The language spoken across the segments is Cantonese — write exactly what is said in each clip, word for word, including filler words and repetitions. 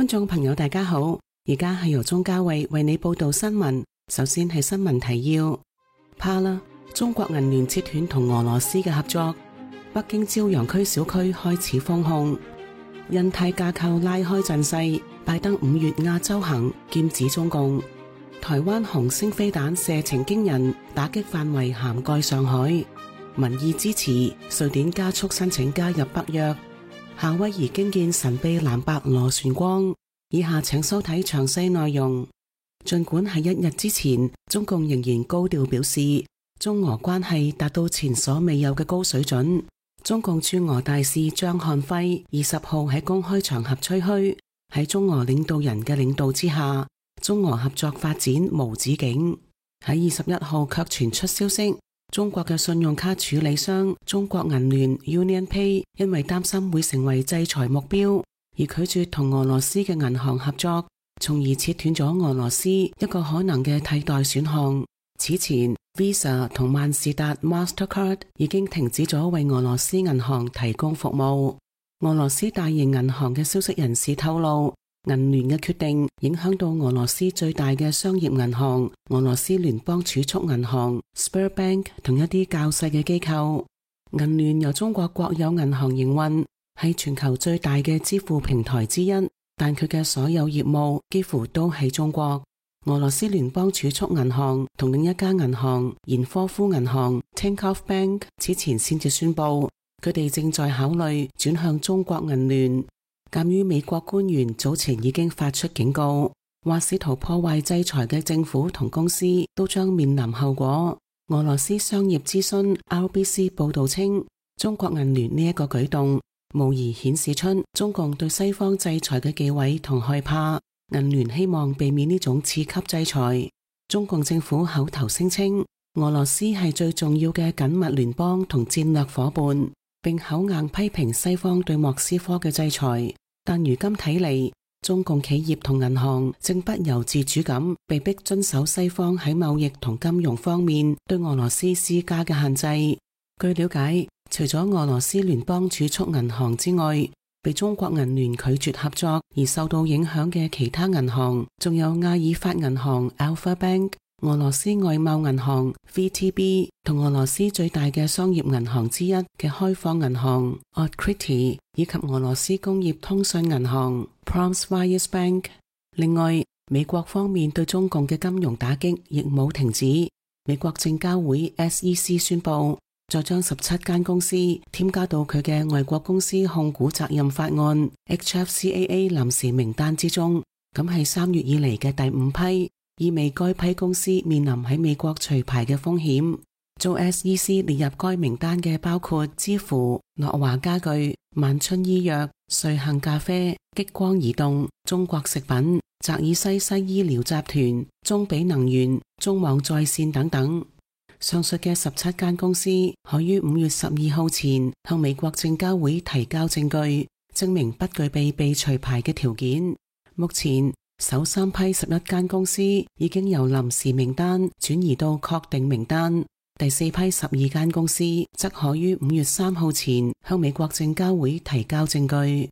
觀眾朋友大家好，而家係由鍾嘉慧為你報道新聞。首先係新聞提要，怕啦，中國銀聯切斷同俄羅斯嘅合作。北京朝陽區小區開始封控。印太架構拉開陣勢，拜登五月亞洲行劍指中共。台灣紅星飛彈射程驚人，打擊範圍涵蓋上海。民意支持，瑞典加速申請加入北約。夏威夷驚見神秘藍白螺旋光。以下請收睇詳細內容。儘管喺一日之前，中共仍然高調表示中俄關係達到前所未有嘅高水準。中共駐俄大使張漢輝二十號喺公開場合吹噓，喺中俄領導人嘅領導之下，中俄合作發展無止境。喺二十一號卻傳出消息，中國嘅信用卡處理商中國銀聯 UnionPay 因為擔心會成為制裁目標，而拒絕同俄羅斯嘅銀行合作，從而切斷咗俄羅斯一個可能嘅替代選項。此前 Visa 同萬事達 Mastercard 已經停止咗為俄羅斯銀行提供服務。俄羅斯大型銀行嘅消息人士透露，銀聯嘅決定影響到俄羅斯最大嘅商業銀行俄羅斯聯邦儲蓄銀行 Sberbank 同一啲較細嘅機構。銀聯由中國國有銀行營運，係全球最大嘅支付平台之一，但佢嘅所有業務幾乎都喺中國。俄羅斯聯邦儲蓄銀行同另一家銀行延科夫銀行 Tinkoff Bank 此前先至宣布，佢哋正在考慮轉向中國銀聯。鑒於美國官員早前已經發出警告，話試圖破壞制裁嘅政府同公司都將面臨後果。俄羅斯商業資訊 R B C 報道稱，中國銀聯呢一個舉動無疑顯示出中共對西方制裁嘅忌諱同害怕。銀聯希望避免呢種次級制裁。中共政府口頭聲稱，俄羅斯係最重要嘅緊密聯邦同戰略夥伴，並口硬批評西方對莫斯科嘅制裁。但如今睇嚟，中共企業同銀行正不由自主咁被迫遵守西方喺貿易同金融方面對俄羅斯施加嘅限制。據了解，除咗俄羅斯聯邦儲蓄銀行之外，被中國銀聯拒絕合作而受到影響嘅其他銀行，仲有阿爾法銀行 Alpha Bank、俄羅斯外貿銀行 V T B 同俄羅斯最大嘅商業銀行之一嘅開放銀行 Otkritie， 以及俄羅斯工業通訊銀行 Pромsvaya Bank。另外，美國方面對中共嘅金融打擊亦冇停止。美國證交會 S E C 宣布，再將十七間公司添加到佢嘅外國公司控股責任法案 H F C A A 臨時名單之中，咁係三月以嚟嘅第五批，意味該批公司面臨喺美國除牌嘅風險。遭 S E C 列入該名單嘅包括知乎、樂華家具、萬春醫藥、瑞幸咖啡、激光移動、中國食品、澤爾西西醫療集團、中比能源、中網在線等等。上述嘅十七間公司可於五月十二號前向美國證交會提交證據，證明不具備被除牌嘅條件。目前首三批十一間公司已經由臨時名單轉移到確定名單，第四批十二間公司則可於五月三號前向美國證交會提交證據。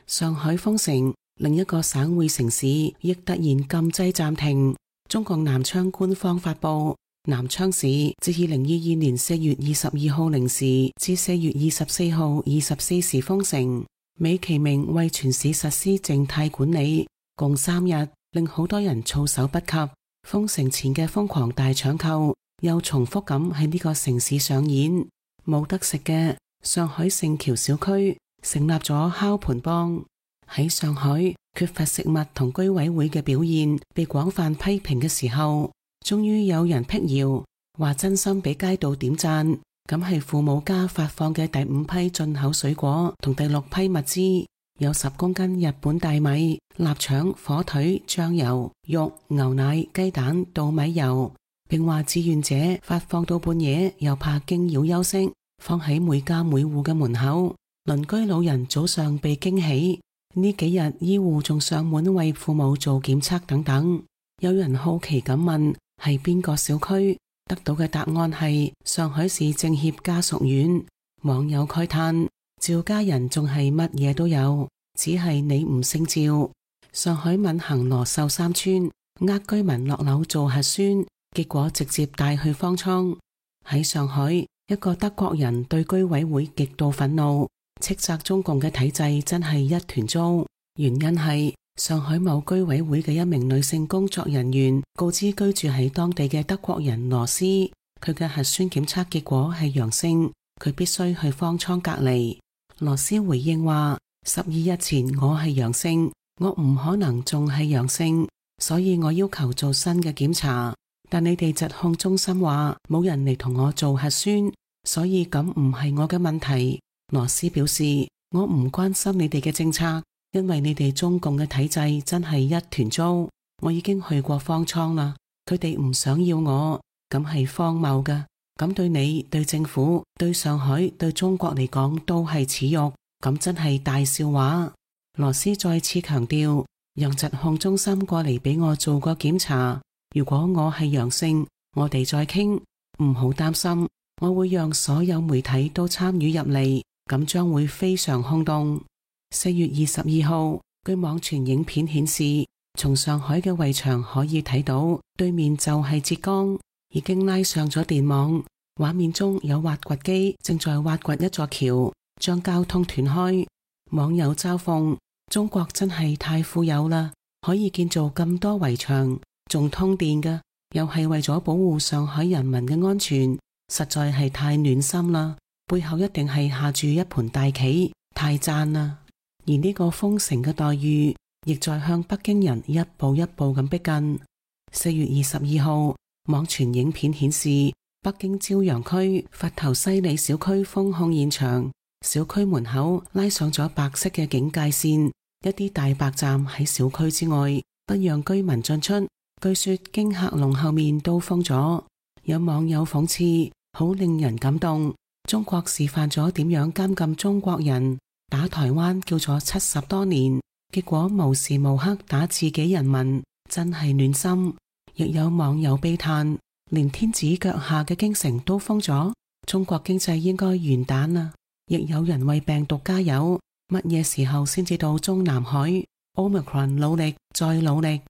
上海封城，另一個省會城市亦突然禁制暫停。中共南昌官方發布，南昌市自二零二二年四月二十二號零時至四月二十四號二十四時封城，美其名為全市實施靜態管理，共三日，令好多人措手不及。封城前嘅瘋狂大搶購又重複咁喺呢個城市上演。冇得食嘅，上海聖橋小區成立咗烤盤幫。喺上海缺乏食物同居委會嘅表現被廣泛批評嘅時候，終於有人闢謠，話真心俾街道點讚。咁係父母家發放嘅第五批進口水果同第六批物資，有十公斤日本大米、臘腸、火腿、醬油、肉、牛奶、雞蛋、稻米油，並話志願者發放到半夜又怕驚擾休息，放喺每家每戶嘅門口。鄰居老人早上被驚喜。呢幾日醫護仲上門為父母做檢測等等。有人好奇咁問係邊個小區，得到嘅答案係上海市政協家屬院。網友慨嘆，趙家人仲係乜嘢都有，只係你唔姓趙。上海閔行羅秀山村呃居民落樓做核酸，結果直接帶去方艙。喺上海，一個德國人對居委會極度憤怒，斥責中共嘅體制真係一團糟。原因係上海某居委會嘅一名女性工作人員告知居住喺當地嘅德國人羅斯，佢嘅核酸檢測結果係陽性，佢必須去方艙隔離。羅斯回應話：十二日前我係陽性，我唔可能仲係陽性，所以我要求做新嘅檢查。但你哋疾控中心話冇人嚟同我做核酸，所以咁唔係我嘅問題。羅斯表示：我唔關心你哋嘅政策，因為你哋中共嘅體制真係一團糟。我已經去過方艙啦，佢哋唔想要我，咁係荒謬㗎。咁對你、對政府、對上海、對中國嚟講都係恥辱，咁真係大笑話。羅斯再次強調，讓疾控中心過嚟俾我做個檢查，如果我係陽性，我哋再傾，唔好擔心，我會讓所有媒體都參與入嚟，咁將會非常轟動。四月二十二號，據網傳影片顯示，從上海嘅圍牆可以睇到，對面就係浙江，已經拉上咗電網。畫面中有挖掘機正在挖掘一座橋，將交通斷開。網友嘲諷：中國真係太富有啦，可以建造咁多圍牆，仲通電㗎，又係為咗保護上海人民嘅安全，實在係太暖心啦。背後一定係下住一盤大棋，太讚啦。而呢個封城嘅待遇，亦在向北京人一步一步咁逼近。四月二十二號，網傳影片顯示，北京朝陽區佛頭西里小區封控現場，小區門口拉上咗白色嘅警戒線，一啲大白站喺小區之外，不讓居民進出。據說經客隆後面都封咗。有網友諷刺，好令人感動。中國示範咗點樣監禁中國人，打台灣叫咗七十多年，結果無時無刻打自己人民，真係暖心。亦有網友悲嘆，連天子腳下嘅京城都封咗，中國經濟應該完蛋啦。亦有人為病毒加油，乜嘢時候先至到中南海？ Omicron 努力再努力。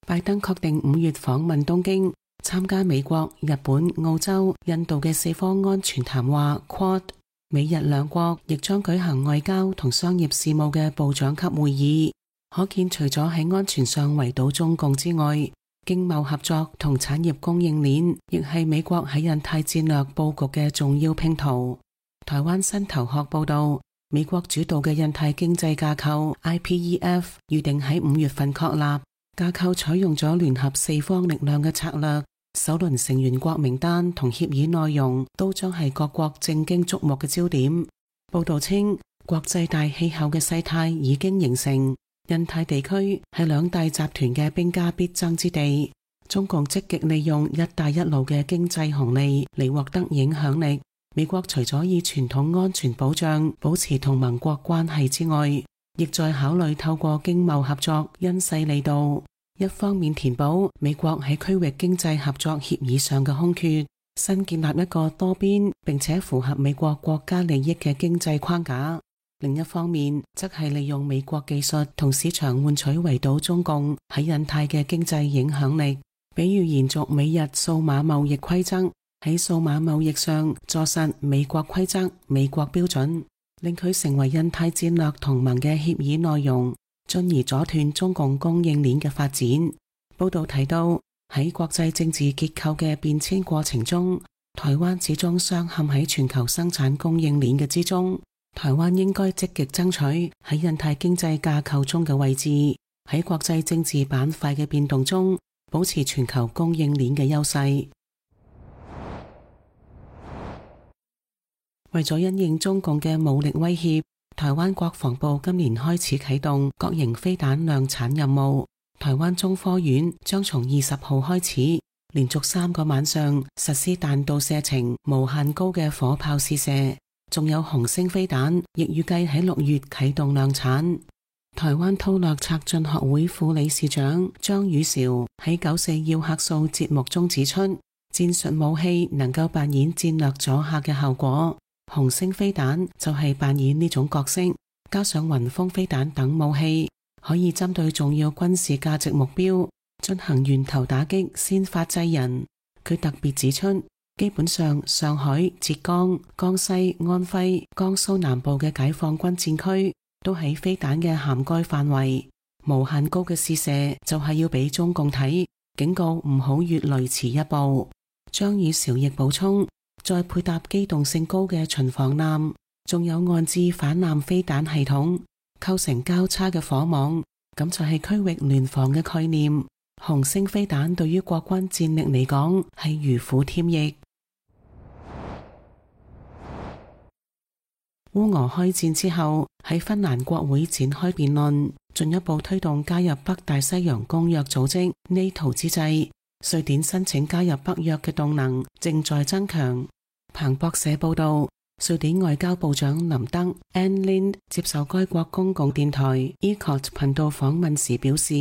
拜登確定五月訪問東京，參加美國、日本、澳洲、印度嘅四方安全談話 Quad。 美日兩國亦將舉行外交同商業事務嘅部長級會議。可見除咗喺安全上圍堵中共之外，經貿合作同產業供應鏈亦係美國喺印太戰略佈局嘅重要拼圖。台灣新頭殼報道，美國主導嘅印太經濟架構 I P E F 預定喺五月份確立。架構採用咗聯合四方力量嘅策略，首輪成員國名單同協議內容都將係各國正經矚目嘅焦點。報道稱，國際大氣候嘅勢態已經形成，印太地區係兩大集團嘅兵家必爭之地。中共積極利用一帶一路嘅經濟紅利嚟獲得影響力。美國除咗以傳統安全保障保持同盟國關係之外，亦在考慮透過經貿合作因勢利導，一方面填補美國喺區域經濟合作協議上嘅空缺，新建立一個多邊並且符合美國國家利益嘅經濟框架；另一方面則係利用美國技術同市場換取圍堵中共喺印太嘅經濟影響力，比如延續美日數碼貿易規則，喺數碼貿易上坐實美國規則、美國標準，令佢成為印太戰略同盟嘅協議內容，進而阻斷中共供應鏈嘅發展。報道提到，喺國際政治結構嘅變遷過程中，台灣始終鑲嵌喺全球生產供應鏈嘅之中。台灣應該積極爭取喺印太經濟架構中嘅位置，喺國際政治板塊嘅變動中保持全球供應鏈嘅優勢。為咗因應中共嘅武力威脅，台灣國防部今年開始啟動各型飛彈量產任務。台灣中科院將從二十號開始，連續三個晚上實施彈道射程無限高嘅火炮試射，仲有紅星飛彈亦預計喺六月啟動量產。台灣韜略策進學會副理事長張宇韶喺九四要客數節目中指出，戰術武器能夠扮演戰略阻嚇嘅效果，紅星飛彈就係扮演呢種角色。加上雲峰飛彈等武器，可以針對重要軍事價值目標進行源頭打擊，先發制人。佢特別指出，基本上上海、浙江、江西、安徽、江蘇南部嘅解放軍戰區都喺飛彈嘅涵蓋範圍。無限高嘅試射就係要俾中共睇，警告唔好越雷池一步。張宇韶亦補充，再配搭機動性高嘅巡防艦，仲有岸置反艦飛彈系統，構成交叉嘅火網，咁就係區域聯防嘅概念。紅星飛彈對於國軍戰力嚟講係如虎添翼。烏俄開戰之後，喺芬蘭國會展開辯論，進一步推動加入北大西洋公約組織 NATO 之際，瑞典申請加入北約嘅動能正在增強。彭博社報道，瑞典外交部長林德 Ann Linde 接受該國公共電台 Ekot 頻道訪問時表示，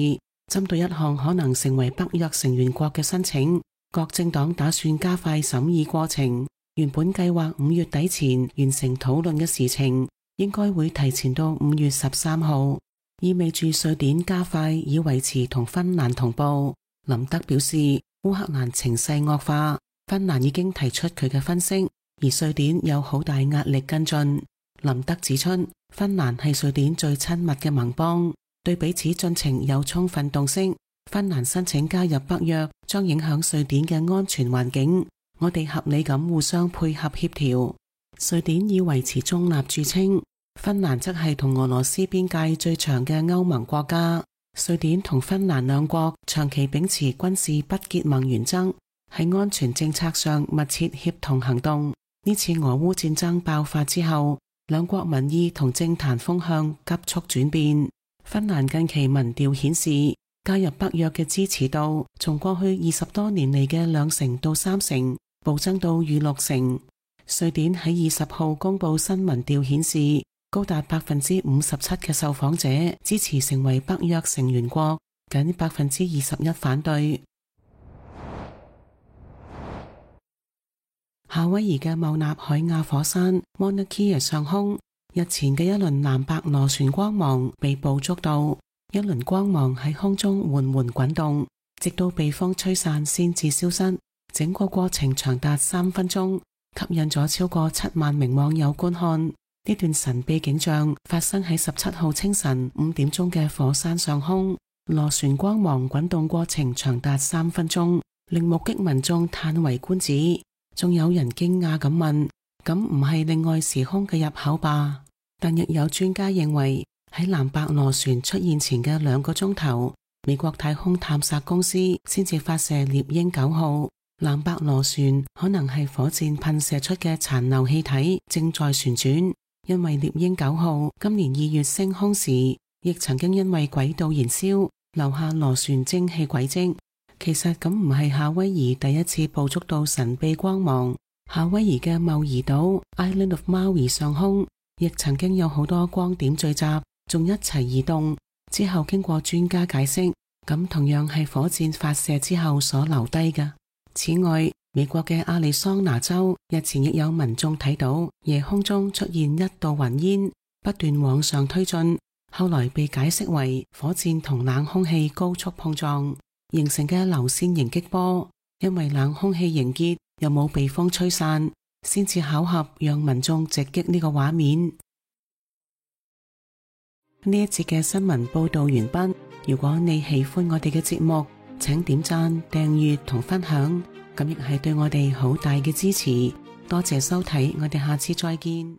針對一項可能成為北約成員國嘅申請，各政黨打算加快審議過程。原本計劃五月底前完成討論嘅事情，應該會提前到五月十三號，意味住瑞典加快以維持同芬蘭同步。林德表示，烏克蘭情勢惡化，芬蘭已經提出佢嘅分析，而瑞典有好大壓力跟進。林德指出，芬蘭係瑞典最親密嘅盟邦，對彼此進程有充分洞悉。芬蘭申請加入北約將影響瑞典嘅安全環境，我哋合理咁互相配合協調。瑞典以維持中立著稱，芬蘭則係同俄羅斯邊界最長嘅歐盟國家。瑞典同芬蘭兩國長期秉持軍事不結盟原則，喺安全政策上密切協同行動。呢次俄烏戰爭爆發之後，兩國民意同政壇風向急速轉變。芬蘭近期民調顯示，加入北約嘅支持度從過去二十多年嚟嘅兩成到三成，暴增到逾六成。瑞典喺二十號公布新民調顯示，高達百分之五十七嘅受訪者支持成為北約成員國，僅百分之二十一反對。夏威夷嘅茂納海亞火山 Mauna Kea 上空，日前嘅一輪藍白螺旋光芒被捕捉到，一輪光芒喺空中緩緩滾動，直到被風吹散先至消失。整個過程長達三分鐘，吸引咗超過七萬名網友觀看。呢段神秘景象發生喺十七號清晨五點鐘嘅火山上空，螺旋光芒滾動過程長達三分鐘，令目擊民眾嘆為觀止。仲有人驚訝咁問：咁唔係另外時空嘅入口吧？但亦有專家認為，喺藍白螺旋出現前嘅兩個鐘頭，美國太空探索公司先至發射獵鷹九號。藍白螺旋可能係火箭噴射出嘅殘留氣體正在旋轉，因為獵鷹九號今年二月升空時，亦曾經因為軌道燃燒留下螺旋蒸汽軌跡。其實咁唔係夏威夷第一次捕捉到神秘光芒，夏威夷嘅茂宜島 Island of Maui 上空亦曾經有好多光點聚集，仲一齊移動。之後經過專家解釋，咁同樣係火箭發射之後所留低嘅。此外，美國嘅亞利桑那州日前亦有民眾睇到夜空中出現一道雲煙，不斷往上推進，後來被解釋為火箭同冷空氣高速碰撞形成嘅流線型激波，因為冷空氣凝結又冇被風吹散，先至巧合讓民眾直擊呢個畫面。呢一節嘅新聞報道完畢。如果你喜歡我哋嘅節目，請點讚、訂閱同分享，咁亦係對我哋好大嘅支持。多謝收睇，我哋下次再見。